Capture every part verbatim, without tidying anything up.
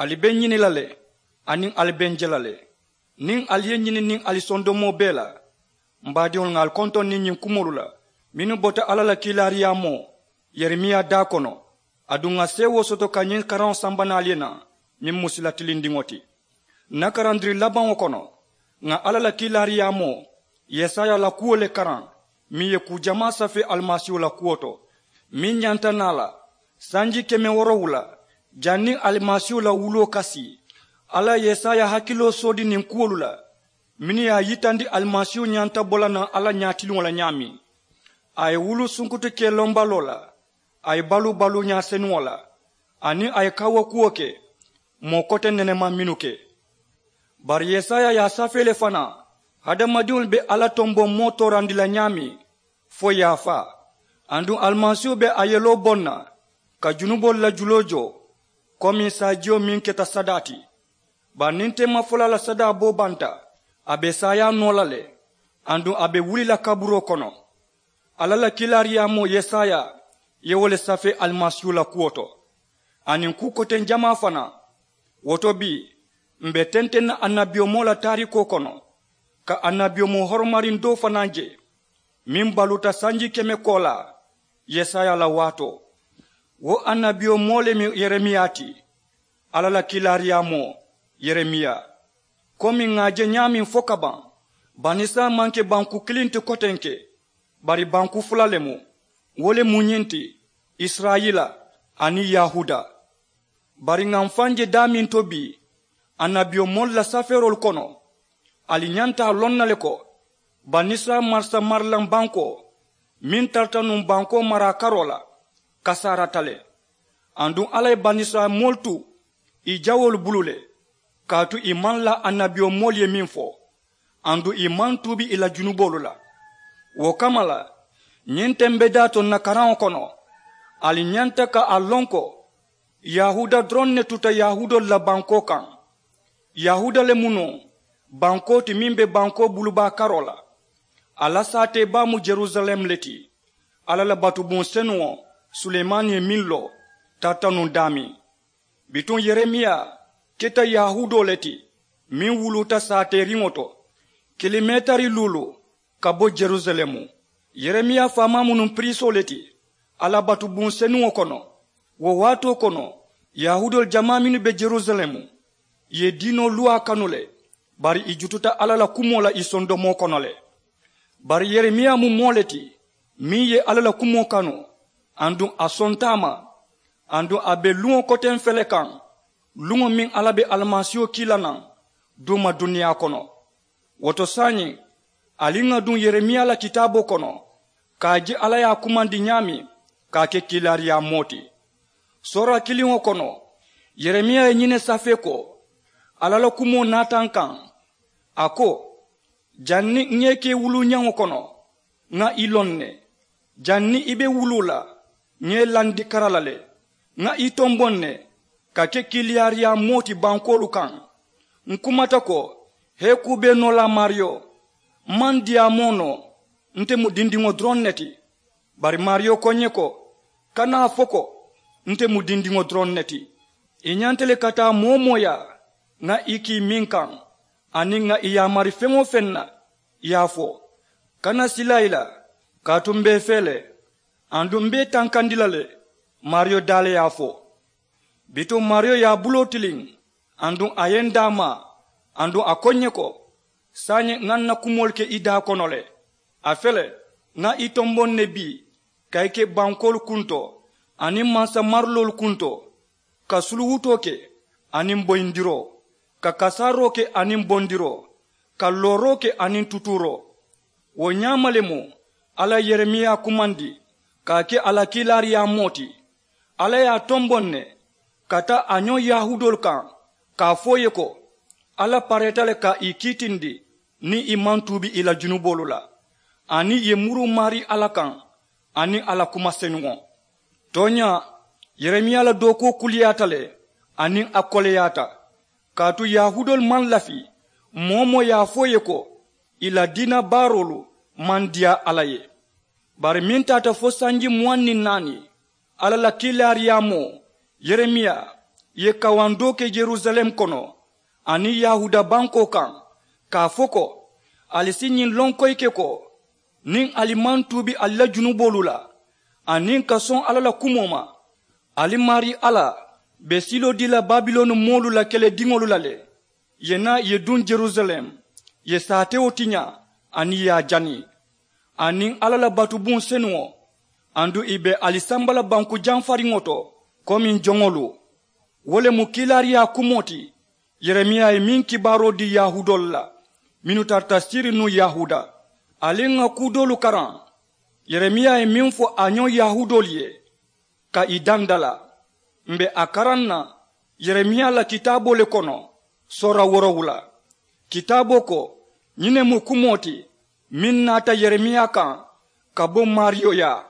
Ali be n ñini la le, aniŋ ali be n je la le. Niŋ ali ye n ñini niŋ ali sondomoo bee la, m baadiŋolu, ŋà ali kontoŋ niŋ ñiŋ kumoolu la mennu bota alla la kiilaariyaamoo yeremiya daa kono. Aduŋ ŋà seewoo soto ka ñiŋ karaŋo samba naŋ ali ye naŋ, meŋ mu sila tilindiŋo ti. N na karandiri labaŋo kono, ŋà alla la kiilaariyaamoo yesaya la kuwo le karaŋ, meŋ ye kuu jamaa safee alimasiihu la kuwo to, meŋ ñanta naa la sanji keme woorowula janniŋ alimasiihu la wuloo ka sii. Alla ye yesaya hakiloo soodi niŋ kuwolu la mennu ye a yitandi alimasiihu ñanta bo la naŋ alla ñaatiliŋo la ñaameŋ. A ye wulu sunkutu ke lombaloo la, a ye baluu baluuñaa senuŋo la, aniŋ a ye kawukuwo ke moo kote nenema mennu ke. Bari yesaya ye a safee le fanaa, hadamadiŋolu be alla tomboŋ moo toorandi la ñaameŋ fo yaafaa. Aduŋ alimasiihu be a yeloo boŋ na ka junuboolu la juloo joo, komi saajiyo meŋ keta sadaa ti. Bari niŋ teemafolaa la sadaa boo banta, a be saayaa noo la le. Aduŋ a be wuli la kaburoo kono. Alla la kiilaariyaamoo yesaya ye wo le safee alimasiihu la kuwo to, aniŋ kuu koteŋ jamaa fanaa. Wo to bii, m̀ be tenteŋ na annabiyomoo la taarikoo kono ka annabiyomoo horomariŋ doo fanaa je, meŋ baluuta sanji keme koolaa yesaya la waatoo. Wo annabiyomoo le mu yeremiya ti, alla la kiilaariyaamoo yeremiya. Komi ŋà a je ñaameŋ fo ka baŋ, banisirayila maŋ ke banku kiliŋ ti kotenke, bari banku fula le mu. Wo le mu ñiŋ ti, isirayila aniŋ yahuuda. Bari ŋà m̀ faŋ je daameŋ to bii, annabiyomoolu la safeeroolu kono, ali ñanta a loŋ na le ko banisirayila marisa marilaŋ bankoo meŋ tarata nuŋ bankoo maraa karoo la, kasaarata le. Aduŋ alla ye banisirayila moolu tu ì jawoolu bulu le, kaatu ì maŋ laa annabiyomoolu ye meŋ fo, aduŋ ì maŋ tuubi ì la junuboolu la. Wo kamma la, ñiŋ tembedaa to ǹ na karaŋo kono, ali ñanta ka a loŋ ko yahuuda doroŋ ne tuta yahuudoolu la bankoo kaŋ. Yahuuda le mu nuŋ bankoo ti meŋ be bankoo bulubaa karoo la. A la saatee baa mu jerusalem le ti. Alla la batubuŋ senuŋo, sulemani ye meŋ loo, tarata nuŋ daameŋ. Bituŋ yeremiya keta yahuudoo le ti, meŋ wuluuta saateeriŋo to, kilomeetari luulu ka bo jerusalemu. Yeremiya faamaa mu nuŋ piriisoo le ti alla batubuŋ senuŋo kono. Wo waatoo kono, yahuudoolu jamaa mennu be jerusalemu, ì ye diinoo luwaa kanu le, bari ì jututa alla la kumoo la ì sondomoo kono le. Bari yeremiya mu moo le ti, meŋ ye alla la kumoo kanu, aduŋ a sonta a ma. Aduŋ a be luŋo koteŋ fele kaŋ, luŋo meŋ alla be alimasiiho kii la naŋ duuma duniyaa kono. Wo to saayiŋ, ali ŋà duŋ yeremiya la kitaaboo kono, ka a je alla ye a kumandi ñaameŋ ka a ke kiilaariyaa moo ti. Soora kiliŋo kono, yeremiya ye ñiŋ ne safee ko, alla la kumoo naata n kaŋ, a ko, janniŋ ŋa i ke wuluuñaŋo kono, ŋa i loŋ ne. Janniŋ i be wuluu la, ŋa i landi kara la le. Ŋa i tomboŋ ne ka ke kiiliyaariyaa moo ti bankoolu kaŋ. Ǹ kumata ko, hee kuu bee noo la maariyo, m maŋ diyaamoo noo. Nte mu dindiŋo doroŋ ne ti. Bari maariyo ko ǹ ye ko, kana a fo ko, nte mu dindiŋo doroŋ ne ti. I ñanta le ka taa moo-wo-moo yaa, ŋa i kii meŋ kaŋ, aniŋ ŋa i yaamari feŋ-wo-feŋ na, i ye a fo. Kana silaa i la, kaatu m be i fee le, aduŋ m be i tankandi la le. Maariyo daa le ye a fo. Bituŋ maariyo ye a buloo tiliŋ, aduŋ a ye n daamaa, aduŋ a ko ǹ ye ko, saayiŋ ŋa n na kumoolu ke i daa kono le. A fele, ŋa i tomboŋ ne bii ka i ke bankoolu kuntoo aniŋ mansa mariloolu kuntoo, ka suluwutoo ke aniŋ boyindiroo, ka kasaaroo ke aniŋ bondiroo, ka looroo ke aniŋ tutuuroo. Wo ñaama le mu alla ye yeremiya kumandi ka a ke a la kiilaariyaa moo ti. Alla ye a tomboŋ ne ka taa a ñoŋ yahuudoolu kaŋ, ka a fo ì ye ko, alla pareeta le ka ì kiitindi niŋ ì maŋ tuubi ì la junuboolu la, aniŋ ì ye muruu maarii alla kaŋ aniŋ a la kuma senuŋo. Tooñaa, yeremiya la dookuwo kuliyaata le, aniŋ a koleyaata. Kaatu yahuudoolu maŋ lafi, moo-wo-moo ye a fo ì ye ko, ì la diina baaroolu maŋ diyaa alla ye. Bari meŋ taata fo sanji muwaŋ niŋ naani, alla la kiilaariyaamoo yeremiya Ì ye kawandoo ke yerusaleemu kono aniŋ yahuuda bankoo kaŋ, ka a fo ko, ali si ñiŋ loŋ koyi ke ko, niŋ ali maŋ tuubi ali la junuboolu la aniŋ ka soŋ alla la kumoo ma, ali maarii alla be siloo dii la babiloni moolu la kelediŋolu la le. Ì ye naa ì ye duŋ yerusaleemu, ì ye saatewo tiñaa aniŋ ì ye a jani, aniŋ alla la batubuŋ senuŋo, aduŋ ì be ali samba la banku jamfariŋo to komiŋ joŋolu. Wo le mu kiilaariyaa kumoo ti yeremiya ye meŋ kibaaroo dii yahuudoolu la mennu tarata siriŋ nuŋ yahuuda. Ali ŋà kuu doolu karaŋ. Yeremiya ye meŋ fo a ñoŋ yahuudoolu ye ka ì dandalaa, m̀ be a karaŋ na yeremiya la kitaaboo le kono, soora woorowula. Kitaaboo ko, ñiŋ ne mu kumoo ti meŋ naata yeremiya kaŋ ka bo maariyo yaa.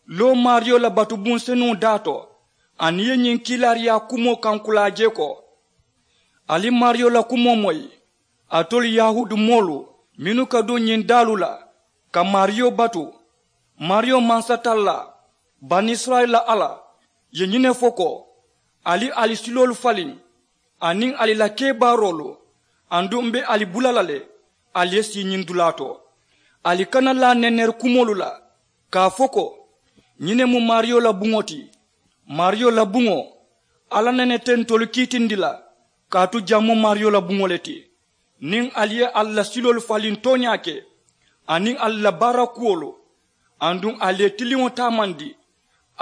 Loo maariyo la batubuŋ senuŋo daa to, aniŋ ì ye ñiŋ kiilaariyaa kumoo kankulaa je ko, ali maariyo la kumoo moyi, alitolu yahuudu moolu mennu ka duŋ ñiŋ daalu la ka maariyo batu, maariyo mansatallaa, banisirayila alla, ye ñiŋ ne fo ko, ali ali siloolu faliŋ aniŋ ali la kebaaroolu, aduŋ m̀ be ali bula la le ali ye sii ñiŋ dulaa to. Ali kana laa neneri kumoolu la ka a fo ko, ñiŋ ne mu maariyo la buŋo ti. Maariyo la buŋo, alla nene te ntolu kiitindi la, kaatu jaŋ mu maariyo la buŋo le ti. Niŋ ali ye ali la siloolu faliŋ tooñaa ke aniŋ ali la baara kuwolu, aduŋ ali ye tiliŋo taamandi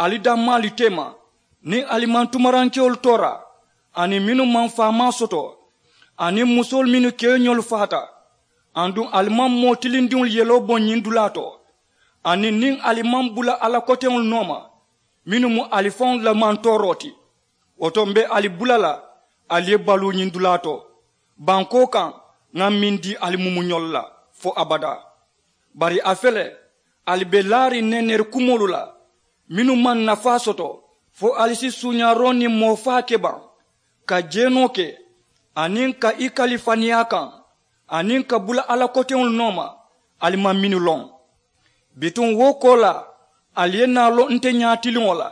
ali dammaalu teema, niŋ ali maŋ tumarankewolu toora, aniŋ mennu maŋ faamaa soto, aniŋ musoolu mennu keeñolu faata, aduŋ ali maŋ moo tilindiŋolu yeloo boŋ ñiŋ dulaa to, aniŋ niŋ ali maŋ bula alla koteŋolu nooma mennu mu ali faŋolu la mantooroo ti, wo to m̀ be ali bula la ali ye baluu ñiŋ dulaa to, bankoo kaŋ ŋa meŋ dii ali mumuñolu la fo abadaa. Bari a fele, ali be laariŋ neneri kumoolu la mennu maŋ nafaa soto, fo ali si suuñaaroo niŋ moo faa ke baŋ, ka jeenoo ke, aniŋ ka i kali faniyaa kaŋ, aniŋ ka bula alla koteŋolu nooma ali maŋ mennu loŋ. Bituŋ wo koolaa, ali ye naa loŋ nte ñaatiliŋo la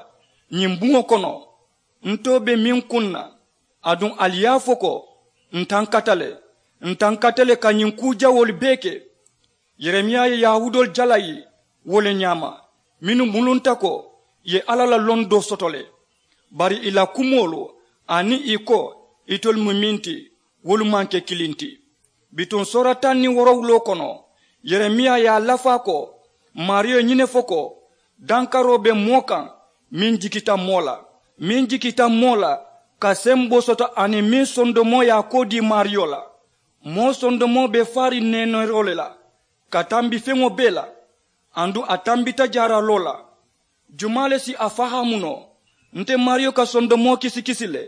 ñiŋ buŋo kono, ntoo be meŋ kuŋ na, aduŋ ali ye a fo ko, ǹ tankata le, ǹ tankata le ka ñiŋ kuu jawoolu bee ke. Yeremiya ye yahuudoolu jalayi wo le ñaama, mennu mulunta ko ì ye alla la londoo soto le. Bari ì la kumoolu aniŋ ì ko itolu mu meŋ ti, wolu maŋ ke kiliŋ ti. Bituŋ soora taŋ niŋ woorowuloo kono, yeremiya ye a lafaa ko, maariyo ye ñiŋ ne fo ko, dankaroo be moo kaŋ meŋ jikita moo la, meŋ jikita moo la ka semboo soto, aniŋ meŋ sondomoo ye a koo dii maariyo la. Moo sondomoo be faariŋ neeneeroo le la ka tambi feŋo bee la, aduŋ a tambita jaaraloo la. Jumaa le si a fahaamu noo? Nte maariyo ka sondomoo kisikisi le,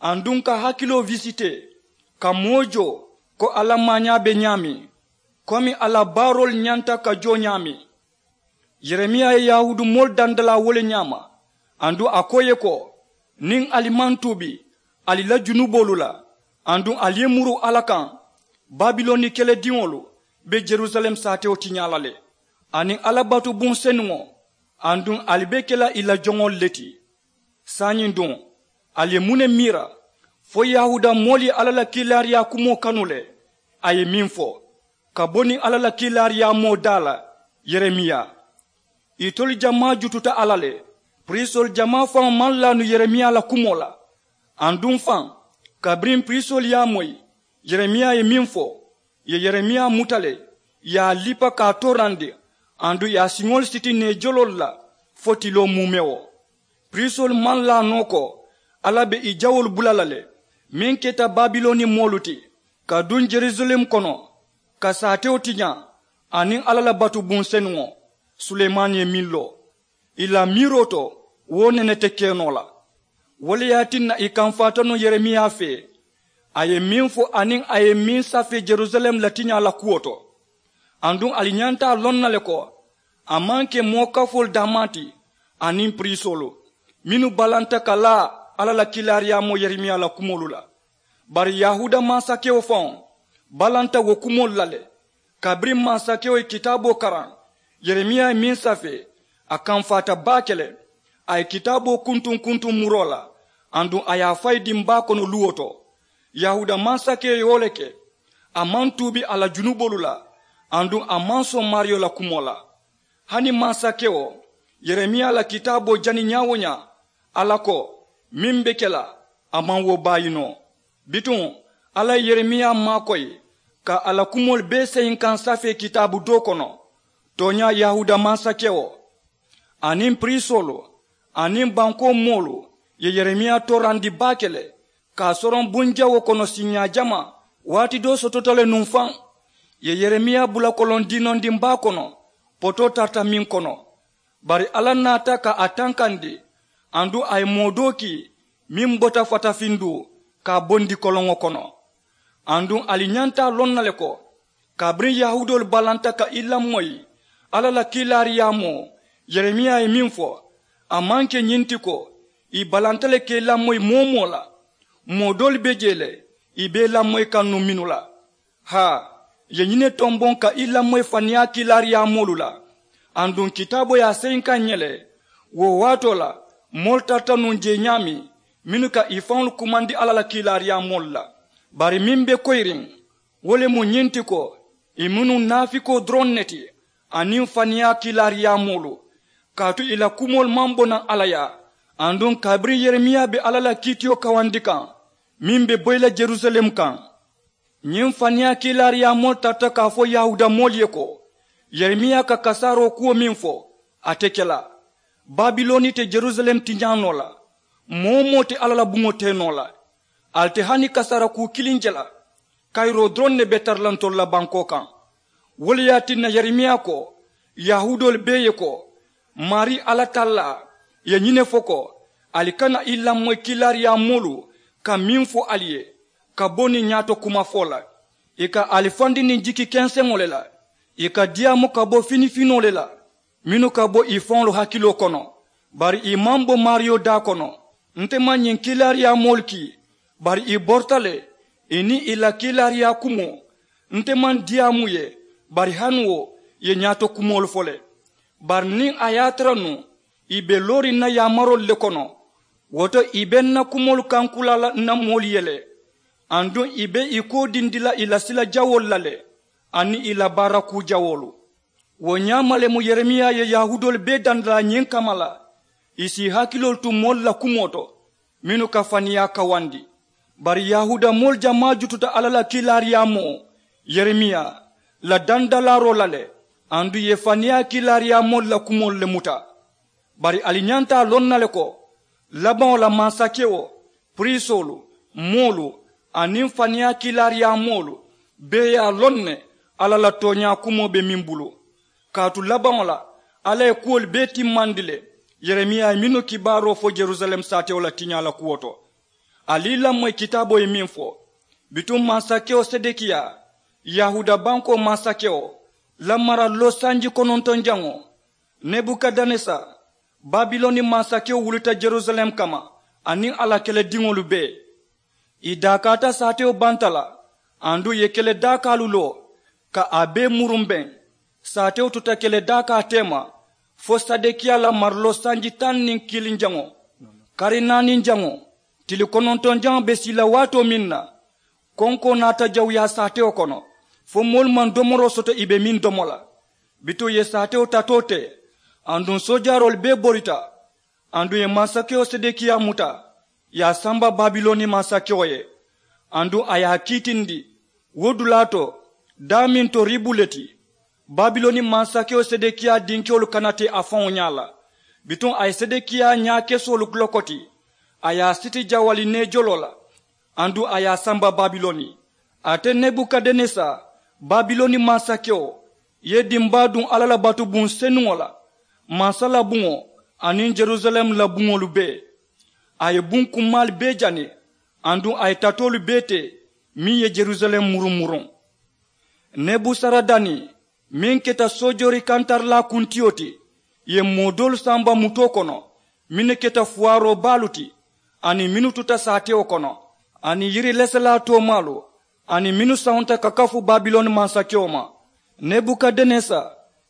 aduŋ ka hakiloo wisitee, ka moo joo ko a la maañaa be ñaameŋ, komi a la baaroolu ñanta ka joo ñaameŋ. Yeremiya ye yahuudu moolu dandalaa wo le ñaama, aduŋ a ko ì ye ko, niŋ ali maŋ tuubi ali la junuboolu la, aduŋ ali ye muru alla kaŋ, babiloni kelediŋolu be yerusalem saatewo tiñaa la le, aniŋ alla batubuŋ senuŋo, aduŋ ali be ke la ì la joŋolu le ti. Saayiŋ duŋ, ali ye muŋ ne miira? Fo yahuuda moolu ye alla la kiilaariyaa kumoo kanu le. A ye meŋ fo ka bo niŋ alla la kiilaariyaa moo daa la, yeremiya. Itolu jamaa jututa a la le. Piriisoolu jamaa faŋo maŋ laanu yeremiya la kumoo la. Aduŋ faŋ, kabiriŋ piriisoolu ye a moyi, yeremiya ye meŋ fo, ì ye yeremiya muta le, ì ye a lipa ka a toorandi, aduŋ ì ye a siŋolu siti neejoloolu la fo tiloo muumewo. Piriisoolu maŋ laa noo ko alla be ì jawoolu bula la le, meŋ keta babiloni moolu ti, ka duŋ yerusalem kono, ka saatewo tiñaa aniŋ alla la batubuŋ senuŋo, sulemani ye meŋ loo. Ì la miiroo to, wo nene te ke noo la. Wo le ye a tinna ì kamfaata nuŋ yeremiya fee, a ye meŋ fo aniŋ a ye meŋ safee yerusalem la tiñaa la kuwo to. Aduŋ ali ñanta a loŋ na le ko, a maŋ ke moo kafoolu daamaa ti, aniŋ piriisoolu mennu balanta ka laa alla la kiilaariyaamoo yeremiya la kumoolu la. Bari yahuuda mansakewo faŋo balanta wo kumoolu la le. Kabiriŋ mansakewo ye kitaaboo karaŋ, yeremiya ye meŋ safee, a kamfaata baake le. A ye kitaaboo kuntuŋ kuntuŋ muroo la, Aduŋ a ye a fayi dimbaa kono luwo to. Yahuuda mansakeyo ye wo le ke. A maŋ tuubi a la junuboolu la. Aduŋ a maŋ soŋ maariyo la kumoo la. Hani mansakewo, yeremiya la kitaaboo jani ñaa-wo-ñaa, alla ko meŋ be ke la, a maŋ wo baayi noo. Bituŋ, alla ye yeremiya maakoyi ka a la kumoolu bee seyinkaŋ safee kitaabu doo kono. Tooñaa, yahuuda mansakewo aniŋ piriisoolu aniŋ bankoo moolu ye yeremiya toorandi baake le. Ka a soroŋ bunjawoo kono siiñaa jamaa, waati doo sotota le nuŋ faŋ. Ì ye yeremiya bula koloŋ diinondiŋ baa kono, potoo tarata meŋ kono. Bari alla naata ka a tankandi. Aduŋ a ye moo doo kii meŋ bota fatafinduu ka a bondi koloŋo kono. Aduŋ ali ñanta a loŋ na le ko, kabiriŋ yahuudoolu balanta ka i lamoyi alla la kiilaariyaamoo, yeremiya ye meŋ fo, a maŋ ke ñiŋ ti ko ì balanta le ka i lamoyi moo-wo-moo la. Moo doolu be jee le ì be i lamoyi kaŋ nuŋ mennu la. Haa, ì ye ñiŋ ne tomboŋ ka i lamoyi faniyaa kiilaariyaamoolu la. Aduŋ kitaaboo ye a seyinkaŋ ǹ ye le. Wo waatoo la, moolu tarata nuŋ jee ñaameŋ mennu ka ì faŋolu kumandi alla la kiilaariyaamoolu la. Bari meŋ be koyiriŋ, wo le mu ñiŋ ti ko, ì mu nuŋ naafikoo doroŋ ne ti aniŋ faniyaa kiilaariyaamoolu. Kaatu ì la kumoolu maŋ bo naŋ alla yaa. Aduŋ kabiriŋ yeremiya be alla la kiitiyo kawandi kaŋ meŋ be boyi la jerusalem kaŋ, ñiŋ faniyaa kiilaariyaamoolu tarata ka a fo yahuuda moolu ye ko, yeremiya ka kasaaroo kuwo meŋ fo, a te ke la. Babiloni te jerusalem tiñaa noo la. Moo-wo-moo te alla la buŋo tee noo la. Ali te hani kasaara kuu kiliŋ je la. Kayiroo doroŋ ne be tara la ntolu la bankoo kaŋ. Wo le ye a tinna yeremiya ko, yahuudoolu bee ye ko, maarii alla tallaa ye ñiŋ ne fo ko, ali kana i lamoyi kiilaariyaamoolu ka meŋ fo ali ye, ka bo niŋ ñaato kumafoo la. Ì ka ali fandi niŋ jiki kenseŋo le la. Ì ka diyaamu ka bo finifinoo le la, mennu ka bo ì faŋolu hakiloo kono. Bari ì maŋ bo maariyo daa kono. Nte maŋ ñiŋ kiilaariyaamoolu kii. Bari ì borita le ì niŋ ì la kiilaariyaa kumoo. Nte maŋ diyaamu ì ye. Bari hani wo ì ye ñaato kumoolu fo le. Bari niŋ a ye a tara nuŋ ì be looriŋ ǹ na yaamaroolu le kono, wo to ì be ǹ na kumoolu kankula la ǹ na moolu ye le. Aduŋ ì be ì koodindi la ì la sila jawoolu la le, aniŋ ì la baara kuu jawoolu. Wo ñaama le mu yeremiya ye yahuudoolu bee dandalaa ñiŋ kamma la. Ì si ì hakiloolu tu moolu la kumoo to mennu ka faniyaa kawandi. Bari yahuuda moolu jamaa jututa alla la kiilaariyaamoo, yeremiya la dandalaaroo la le. Aduŋ ì ye faniyaa kiilaariyaamoolu la kumoolu le muta. Bari ali ñanta a loŋ na le ko, labaŋo la mansakewo, piriisoolu, moolu, aniŋ faniyaa kiilaariyaamoolu bee ye a loŋ ne alla la tooñaa kumoo be meŋ bulu. Kaatu labaŋo la, alla ye kuwolu bee timmandi le. Yeremiya ye mennu kibaaroo fo jerusalem saatewo la tiñaa la kuwo to, ali i lamoyi kitaaboo ye meŋ fo. Bituŋ mansakewo sedekiya, yahuuda bankoo mansakewo, la mara loosanji konontonjaŋo, nebukadenesa, babiloni mansakewo wulita jerusalem kamma, aniŋ a la kelediŋolu bee. Ì daakaata saatewo banta la. Aduŋ ì ye kele daakaalu loo ka a bee murumbeŋ. Saatewo tuta kele daakaa teema fo sedekiya la mariloo sanji taŋ niŋ kiliŋ jaŋo, kari naaniŋ jaŋo, tili konontoŋ jaŋo be sii la waatoo meŋ na, konkoo naata jawuyaa saatewo kono, fo moolu maŋ domoroo soto ì be meŋ domo la. Bituŋ ì ye saatewo tatoo te, aduŋ soojaaroolu bee borita. Aduŋ ì ye mansakewo sedekiya muta, ì ye a samba babiloni mansakewo ye. Aduŋ a ye a kiitindi wo dulaa to, daameŋ to ribu le ti. Babiloni mansakewo sedekiya dinkewolu kana te a faŋo ñaa la. Bituŋ a ye sedekiya ñaakesoolu lokoti, a ye a siti jawali neejoloo la, aduŋ a ye a samba babiloni. Ate nebukadenesa, babiloni mansakewo, ye dimbaa duŋ alla la batubuŋ senuŋo la, mansa la buŋo, aniŋ jerusalem la buŋolu bee. A ye buŋ kummaalu bee jani, aduŋ a ye tatoolu bee te meŋ ye jerusalem murumuruŋ. Nebusaradani, meŋ keta soojoori kantarilaa kuntiyo ti, ì ye moo doolu samba mutoo kono, mennu keta fuwaaroo baalu ti, aniŋ mennu tuta saatewo kono, aniŋ yiri leselaa toomaalu, aniŋ mennu sawunta ka kafu babiloni mansakewo ma. Nebukadenesa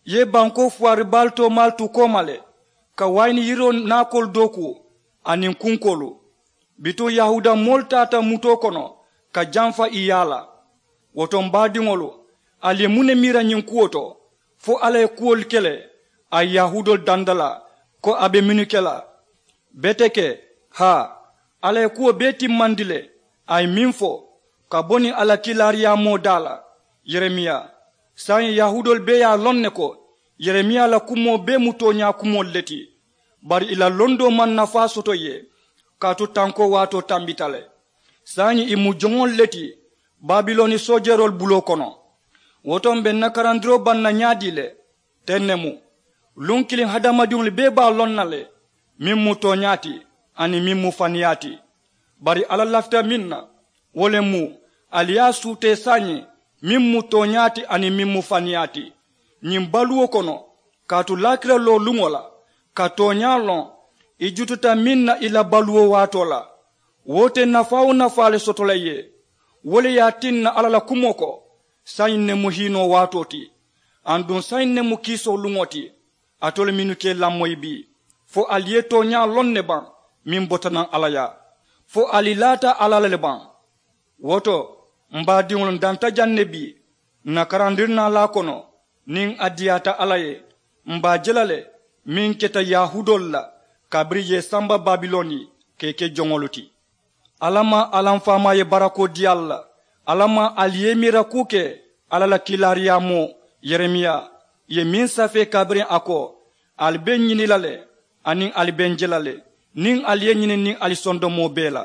ye bankoo fuwaari baalu toomaalu tu kooma le, ka wayini yiroo naakoolu dookuu, aniŋ kunkoolu. Bituŋ yahuuda moolu taata mutoo kono ka jamfa i yaa la. Wo to m baadiŋolu, ali ye muŋ ne miira ñiŋ kuwo to? Fo alla ye kuwolu ke le a ye yahuudoolu danda la ko a be mennu ke la? Beteke, haa, alla ye kuwo bee timmandi le. A ye meŋ fo ka bo niŋ a la kiilaariyaamoo daa la, yeremiya. Saayiŋ yahuudoolu bee ye a loŋ ne ko yeremiya la kumoo bee mu tooñaa kumoolu le ti. Bari ì la londoo maŋ nafaa soto ì ye, kaatu tankoo waatoo tambita le. Saayiŋ ì mu joŋolu le ti babiloni soojeroolu buloo kono. Wo to m be n na karandiroo baŋ na ñaadii le? Teŋ ne mu. Luŋ kiliŋ hadamadiŋolu bee be a loŋ na le meŋ mu tooñaa ti aniŋ meŋ mu faniyaa ti. Bari alla lafita meŋ na, wo le mu ali ye a suutee saayiŋ meŋ mu tooñaa ti aniŋ meŋ mu faniyaa ti. Ñiŋ baluwo kono, kaatu laakira looluŋo la, ka tooñaa loŋ ì jututa meŋ na ì la baluwo waatoo la, wo te nafaa-wo-nafaa le soto la ì ye. Wo le ye a tinna alla la kumoo ko, saayiŋ ne mu hiinoo waatoo ti, aduŋ saayiŋ ne mu kiisoo luŋo ti. Alitolu mennu ka ì lamoyi bii, fo ali ye tooñaa loŋ ne baŋ meŋ bota naŋ alla yaa? Fo ali laata alla la le baŋ? Wo to, m baadiŋolu n danta jaŋ ne bii n na karandirinaalaa kono. Niŋ a diyaata alla ye, m be a je la le meŋ keta yahuudoolu la kabiriŋ ì ye ì samba babiloni ka ì ke joŋolu ti. Alla maŋ alla m faamaa ye barakoo dii ali la. Alla maŋ ali ye i miira kuu ke alla la kiilaariyaamoo yeremiya ye meŋ safee kabiriŋ a ko, ali be n ñini la le, aniŋ ali be n je la le, niŋ ali ye ñini niŋ ali sondomoo bee la.